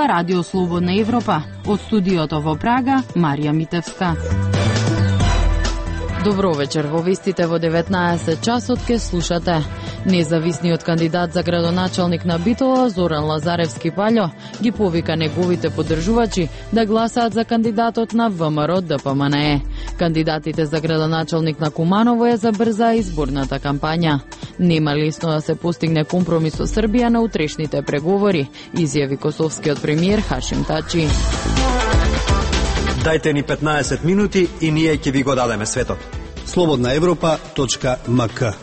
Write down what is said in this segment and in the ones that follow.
Ова Радио Слободна Европа. Од студиото во Прага, Марија Митевска. Добро вечер, во вестите во 19 часот ке слушате. Независниот кандидат за градоначалник на Битола, Зоран Лазаревски Паљо, ги повика неговите поддржувачи да гласаат за кандидатот на ВМРО ДПМНЕ. Кандидатите за градоначалник на Куманово ја забрзаа изборната кампања. Нема лесно да се постигне компромис со Србија на утрешните преговори, изјави косовскиот премиер Хашим Тачи. Дајте ни 15 минути и ние ќе ви го дадеме светот. slobodnaevropa.mk.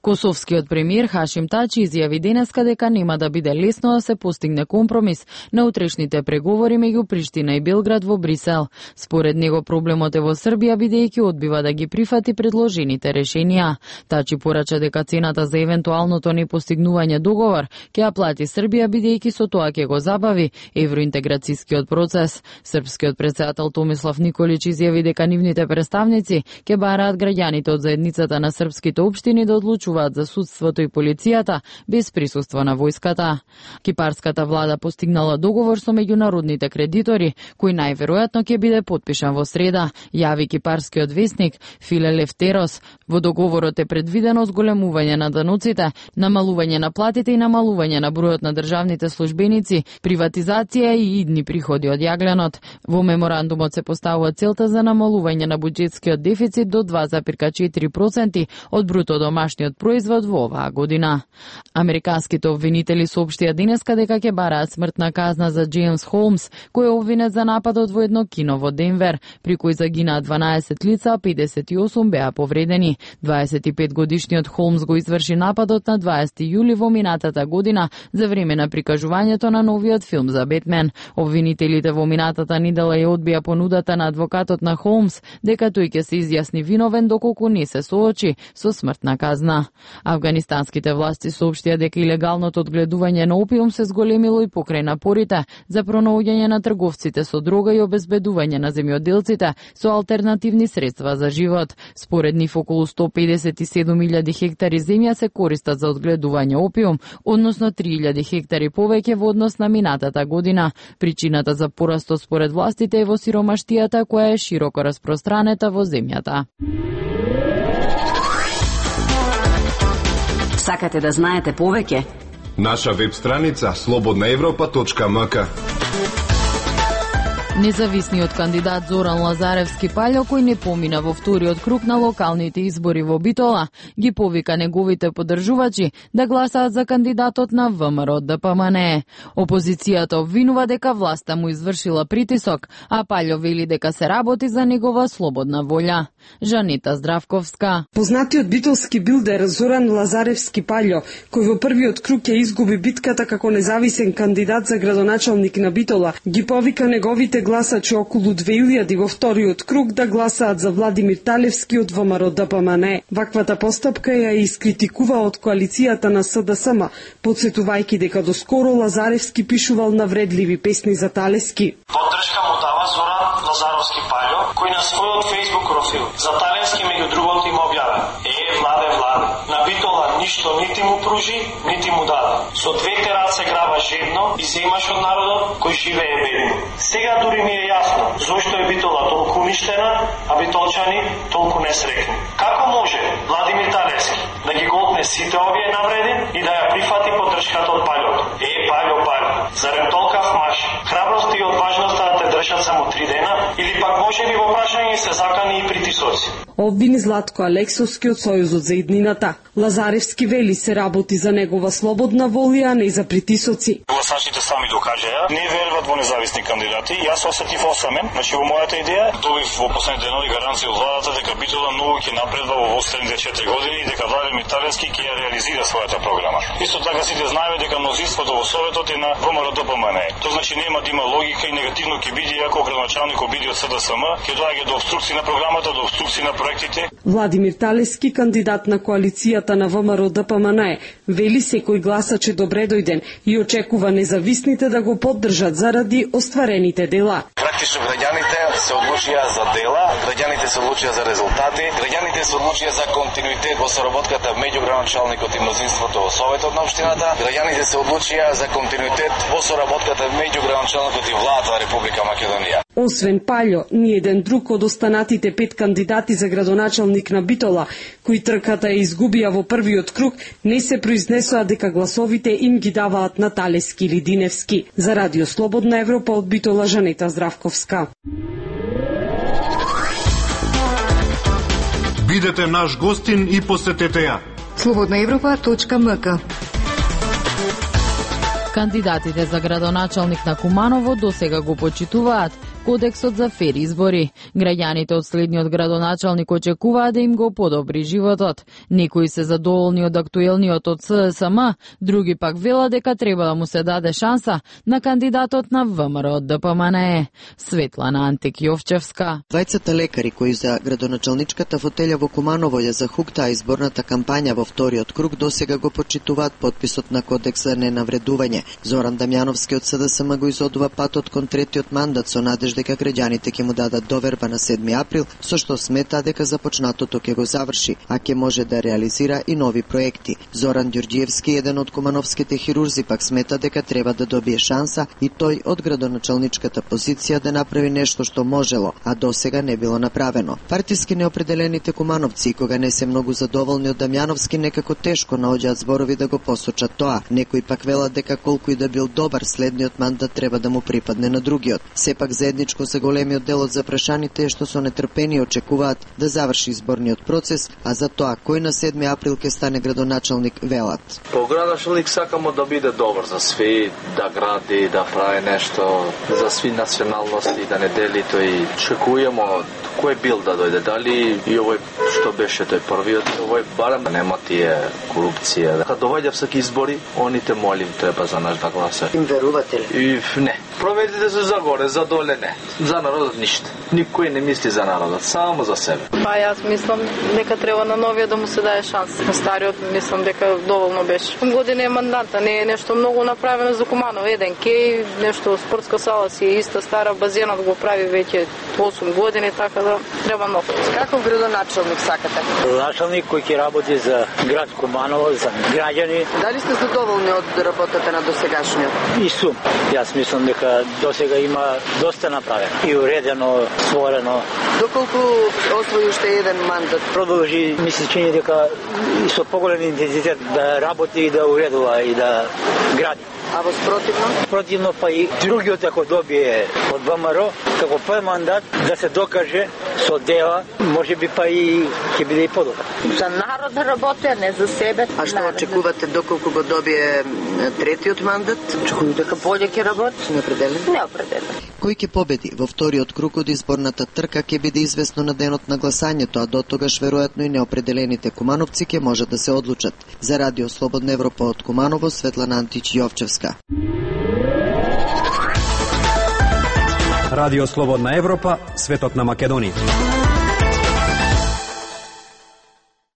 Косовскиот премиер Хашим Тачи изјави денеска дека нема да биде лесно да се постигне компромис на утрешните преговори меѓу Приштина и Белград во Брисел. Според него проблемот е во Србија бидејќи одбива да ги прифати предложените решенија. Тачи порача дека цената за евентуалното непостигнување договор ќе ја плати Србија бидејќи со тоа ќе го забави евроинтеграцијскиот процес. Српскиот претседател Томислав Николич изјави дека нивните представници ќе бараат граѓаните од заедницата на српските општини да одлучуваат за судството и полицијата без присуство на војската. Кипарската влада постигнала договор со меѓународните кредитори, кој најверојатно ќе биде потпишан во среда, јави кипарскиот весник Филе Лефтерос. Во договорот е предвидено зголемување на даноците, намалување на платите и намалување на бројот на државните службеници, приватизација и идни приходи од јагленот. Во меморандумот се поставува целта за намалување на буџетскиот дефицит до 2,4% од бруто домашниот производ во оваа година. Американските обвинители соопштија денеска дека ќе бараат смртна казна за Джеймс Холмс, кој е обвинет за нападот во едно кино во Денвер, при кој загинаа 12 лица, а 58 беа повредени. 25-годишниот Холмс го изврши нападот на 20 јули во минатата година за време на прикажувањето на новиот филм за Бетмен. Обвинителите во минатата недела ја одбија понудата на адвокатот на Холмс дека тој ќе се изјасни виновен доколку не се соочи со смртна казна. Афганистанските власти соопштија дека илегалното одгледување на опиум се зголемило и покрај напорите за пронаоѓање на трговците со дрога и обезбедување на земјоделците со алтернативни средства за живот. Според нив околу 157.000 хектари земја се користат за одгледување опиум, односно 3.000 хектари повеќе во однос на минатата година. Причината за порастот според властите е во сиромаштијата која е широко распространета во земјата. Сакате да знаете повеќе? Наша веб страница slobodnaevropa.mk. Независниот кандидат Зоран Лазаревски Паљо, кој не помина во вториот круг на локалните избори во Битола, ги повика неговите поддржувачи да гласаат за кандидатот на ВМРО ДПМНЕ. Опозицијата обвинува дека власта му извршила притисок, а Паљо вели дека се работи за негова слободна волја. Жанита Здравковска. Познатиот битолски билдер Зоран Лазаревски Паљо, кој во првиот круг ќе изгуби битката како независен кандидат за градоначалник на Битола, ги повика неговите гласачи околу 2000 во вториот круг да гласаат за Владимир Талевски од ВМРО ДПМНЕ. Ваквата постапка ја искритикува од коалицијата на СДСМ, подсетувајќи дека доскоро Лазаревски пишувал навредливи песни за Талевски. Поддршка му дава Зоран Лазаровски Паљо, кој на својот Facebook профил за Талевски меѓу другото им објавя: Владе, на Битола ништо нити му пружи, нити му даде. Со двете раце граба жедно и се имаш од народот кој живее бедно. Сега дури ми е јасно зошто е Битола толку уништена, а битолчани толку несреќни. Како може Владимир Талевски да ги голтне сите овие навреди и да ја прифати поддршката од Паљото? Паљо, зарем толкав маш, храброст и одважноста да те држат само 3 дена, или пак може би во прашање се закани и притисоци? Обвини Златко Алексовски од Сојузот за иднината. Лазаревски вели се работи за негова слободна волја, а не за притисоци. Гласачите сами докажаа, не веруват во независни кандидати. Јас осетив осамен, значи во мојата идеја, добив во последните денови гаранција од владата дека Битола многу ќе напредва во следните 4 години и дека Владимир Талевски ќе ја реализира својата програма. Исто така сите знаеме дека мнозинството во Советот е на ВМРО ДПМНЕ. Тоа значи нема да има логика и негативно ќе биде ако градоначалник биде од СДСМ, ќе доаѓа до обструкција на програмата, до обструкција на проектите. Владимир Талевски, кандидат на коалицијата на ВМРО ДПМНЕ, вели секој гласач е добредојден и очекува независните да го поддржат заради остварените дела. практично граѓаните се одлучија за дела, граѓаните се одлучија за резултати, граѓаните се одлучија за континуитет во соработката меѓу градоначалникот и мнозинството во Советот на општината, граѓаните се одлучија за континуитет во соработката меѓу градоначалникот и владата на Република Македонија. Освен Паљо, ни еден друг од останатите 5 кандидати за градоначалник на Битола, кои трката ја изгубија во првиот круг, не се произнесоа дека гласовите им ги даваат Наталески или Диневски. За Радио Слободна Европа од Битола, Жанета Здравковска. Бидете наш гостин и посетете ја. slobodnaevropa.mk. Кандидатите за градоначалник на Куманово досега го почитуваат Кодексот за фер избори. Граѓаните од следниот градоначалник очекуваат да им го подобри животот. Некои се задоволни од актуелниот од ССМ, други пак велат дека треба да му се даде шанса на кандидатот на ВМРО од ДПМНЕ. Светлана Антик Јовчевска. Двајцата лекари кои за градоначалничката фотелја во Куманово ја захуктаа изборната кампања во вториот круг досега го почитуваат потписот на Кодекс за ненавредување. Зоран Дамјановски од СДСМ го изодува патот кон третиот мандат со надеж дека граѓаните ќе му дадат доверба на 7 април, со што смета дека започнатото ќе го заврши, а ќе може да реализира и нови проекти. Зоран Ѓорѓиевски, еден од кумановските хирурзи, пак смета дека треба да добие шанса и тој од градоначалничката позиција да направи нешто што можело, а досега не било направено. Партиски неопределените кумановци, кога не се многу задоволни од Дамјановски, некако тешко наоѓаат зборови да го посочат тоа. Некои пак велат дека колку и да бил добар, следниот мандат треба да му припадне на другиот. Сепак заедничко за големиот дел од запрашаните е што со нетрпение очекуваат да заврши изборниот процес, а за тоа кој на 7 април ќе стане градоначалник велат. По градоначалник сакамо да биде добар за сви, да гради, да прави нешто за сви националности, да не дели тој. Чекујемо кој бил да дојде, дали и овој што беше тој првиот, овој барем нема тие корупција. Дека доаѓа всеки избори, оните молим треба за наш да гласа. Им верувате ли? И не. Проверите се за горе, за доле не. За народот ништо. Никој не мисли за народот, само за себе. Па јас мислам дека треба на новиот да му се даде шанс. На стариот мислам дека доволно беше. Година е мандата, не е нешто многу направено за Куманово. Еден кеј, нешто спортска сала си е иста стара, базенот го прави веќе 8 години, така да треба нов. Каков градоначалник сакате? Градоначалник кој ќе работи за град Куманово, за граѓани. Дали сте задоволни од работата на досегашниот? И сум. Јас мислам дека досега има доста направено и уредено, створено. Доколку освои уште еден мандат? Продолжи, ми се чини дека и со поголем интензитет да работи и да уредува и да гради. А во спротивно? Противно па и другиот ако добие од ВМРО, како прв мандат да се докаже со дела, може би па и ќе биде и подобро. За народ да работи, а не за себе. А што очекувате доколку го добие третиот мандат? Очекувам дека болje ќе работи. Неопределено? Неопределено. Кој ќе победи во вториот круг од изборната трка ќе биде известно на денот на гласањето, а до тогаш веројатно и неопределените кумановци ќе можат да се одлучат. За Радио Слободна Европа од Куманово, Светлана Антич Јовчевска. Радио Слободна Европа, светот на Македонија.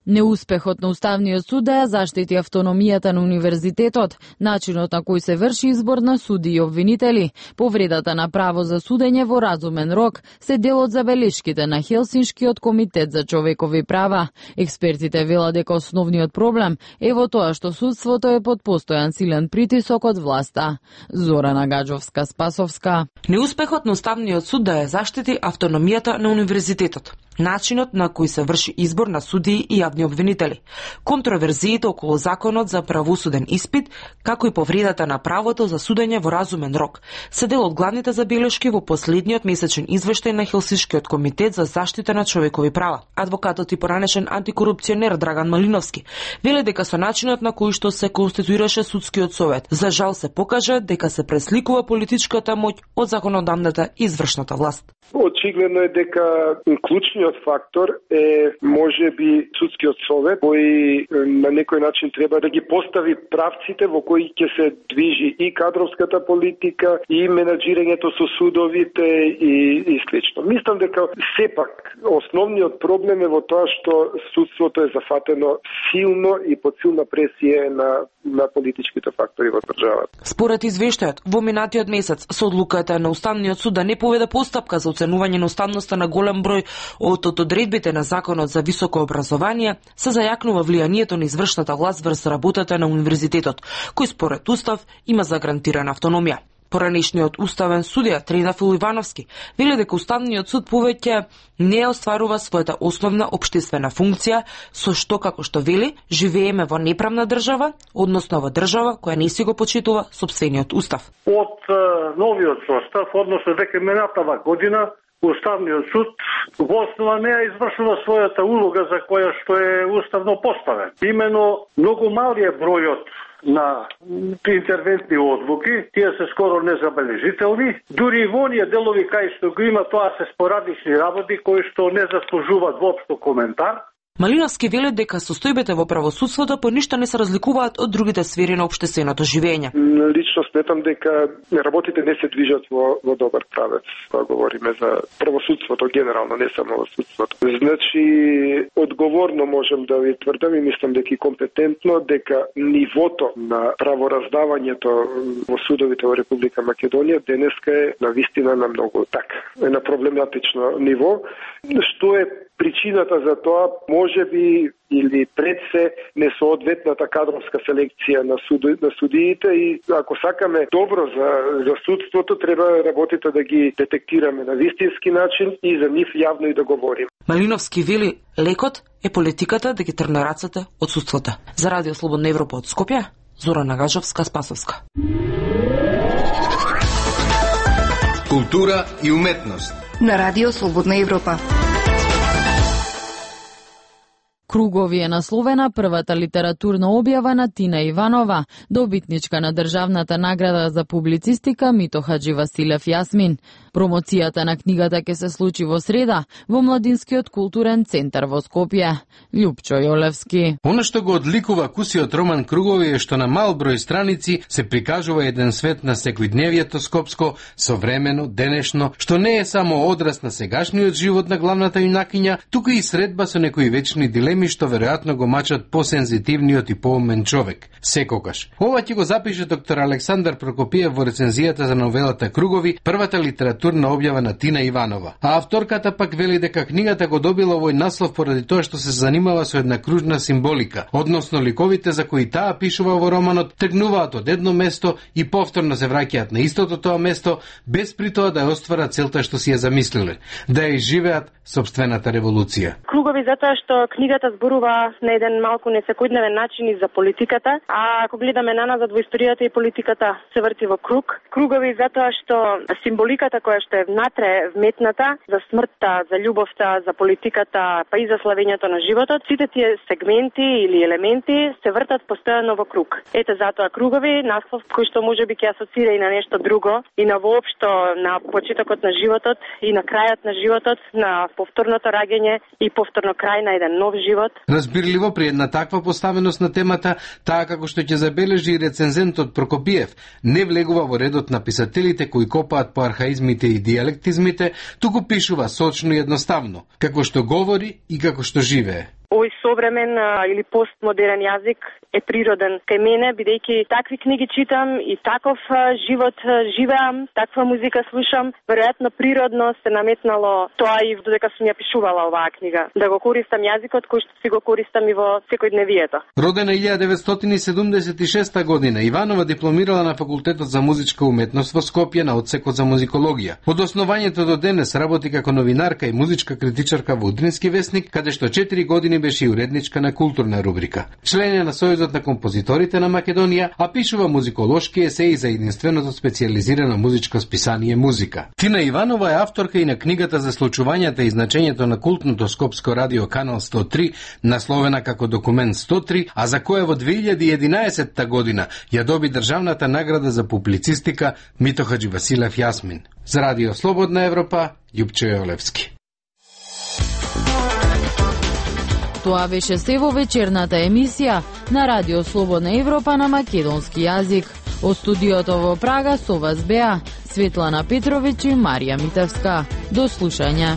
Неуспехот на Уставниот суд да ја заштити автономијата на универзитетот, начинот на кој се врши избор на суди и обвинители, повредата на право за судење во разумен рок се дел од забелешките на Хелсиншкиот комитет за човекови права. Експертите велат дека основниот проблем е во тоа што судството е под постојан силен притисок од власта. Зорана Гаджовска-Спасовска. Неуспехот на Уставниот суд да ја заштити автономијата на универзитетот, начинот на кој се врши избор на судии и јавни обвинители, контроверзиите околу законот за правосуден испит, како и повредата на правото за судење во разумен рок, се дел од главните забелешки во последниот месечен извештај на Хелсиншкиот комитет за заштита на човекови права. Адвокатот и поранешен антикорупционер Драган Малиновски веле дека со начинот на кој што се конституираше судскиот совет, за жал се покажа дека се пресликува политичката моќ од законодавната и извршната власт. Очигледно е дека клучниот основниот фактор е можеби судскиот совет, кој на некој начин треба да ги постави правците во кои ќе се движи и кадровската политика, и менаџирањето со судовите и слично. Мислам дека сепак основниот проблем е во тоа што судството е зафатено силно и под силна пресија на политичките фактори во државата. Според извештајот, во минатиот месец со одлуката на Уставниот суд да не поведе постапка за оценување на уставноста на голем број од одредбите на Законот за високо образование, се зајакнува влијанието на извршната власт врз работата на универзитетот, кој според Устав има загарантирана автономија. Поранешниот уставен судија Тринафил Ивановски вели дека Уставниот суд повеќе не остварува својата основна општествена функција, со што, како што вели, живееме во неправна држава, односно во држава која не си го почитува сопствениот устав. Од новиот состав, односно дека минатава година, Уставниот суд во основа не извршува својата улога за која што е уставно поставен. Имено многу малиот бројот на интервентни одлуки, тие се скоро незабележителни, дури и во оние делови кај што го има, тоа се спорадични работи кои што не заслужуваат воопшто коментар. Малиновски вели дека состојбите во правосудството по ништо не се разликуваат од другите сфери на општественото живење. Лично сметам дека работите не се движат во добар правец. Кога говориме за правосудството генерално, не само во судството. Значи, одговорно можем да ви тврдам и мислам дека и компетентно дека нивото на правораздавањето во судовите во Република Македонија денеска е навистина на многу на проблематично ниво, што е причината за тоа можеби или пред се несоодветната кадровска селекција на судиите и ако сакаме добро за судството, треба работите да ги детектираме на вистински начин и за нив јавно и да говорим. Малиновски вели, лекот е политиката да ги трне рацете од судството. За Радио Слободна Европа од Скопје, Зорана Гажовска-Спасовска. Култура и уметност. На Радио Слободна Европа. Кругови е насловена првата литературна објава на Тина Иванова, добитничка на државната награда за публицистика Мито Хаџивасилев Јасмин. Промоцијата на книгата ќе се случи во среда во Младинскиот културен центар во Скопје. Љупчо Јолевски. Она што го одликува кусиот роман Кругови е што на мал број страници се прикажува еден свет на секојдневието скопско, современо, денешно, што не е само одраз на сегашниот живот на главната јунакиња, туку и средба со некои вечни дилеми што веројатно го мачат посензитивниот и поумен човек. Секогаш. Ова ќе го запише доктор Александар Прокопиев во рецензијата за новелата Кругови, првата литературна објава на Тина Иванова. А авторката пак вели дека книгата го добила овој наслов поради тоа што се занимава со една кружна символика, односно ликовите за кои таа пишува во романот тргнуваат од едно место и повторно се враќаат на истото тоа место, без при тоа да ја остварат целта што си ја замислиле, да ја изживеат сопствената револуција. Кругови затоа што книгата зборува на еден малку несекојдневен начин и за политиката, а ако гледаме наназад во историјата и политиката се врти во круг. Кругови затоа што символиката која што е внатре вметната за смртта, за љубовта, за политиката, па и за славењето на животот, сите тие сегменти или елементи се вртат постојано во круг. Ете затоа Кругови, наслов кој што можеби ќе асоцира и на нешто друго, и на воопшто на почетокот на животот и на крајот на животот, на повторното раѓање и повторно крај на еден нов живот. Разбирливо при една таква поставеност на темата, таа како што ќе забележи и рецензентот Прокопиев, не влегува во редот на писателите кои копаат по архаизмите и диалектизмите, туку пишува сочно и едноставно, како што говори и како што живее. Овој современ или постмодерен јазик е природен кај мене, бидејќи такви книги читам и таков живот живеам, таква музика слушам, веројатно природно се наметнало тоа и додека сум ја пишувала оваа книга, да го користам јазикот кој што си го користам и во секојдневието. Родена 1976 година, Иванова дипломирала на Факултетот за музичка уметност во Скопје на одсекот за музикологија. Од основањето до денес работи како новинарка и музичка критичарка во Утрински весник, каде што 4 години беше и уредничка на културна рубрика. Член е на Сојузот на композиторите на Македонија, а пишува музиколошки есеи за единственото специјализирано музичко списание Музика. Тина Иванова е авторка и на книгата за случувањата и значењето на култното скопско радио Канал 103, насловена како Документ 103, а за која во 2011 година ја доби државната награда за публицистика Мито Хаџивасилев Јасмин. За Радио Слободна Европа, Љупчо Јолевски. Тоа беше се во вечерната емисија на Радио Слободна Европа на македонски јазик. Од студиото во Прага со вас беа Светлана Петровиќ и Марија Митевска. До слушање.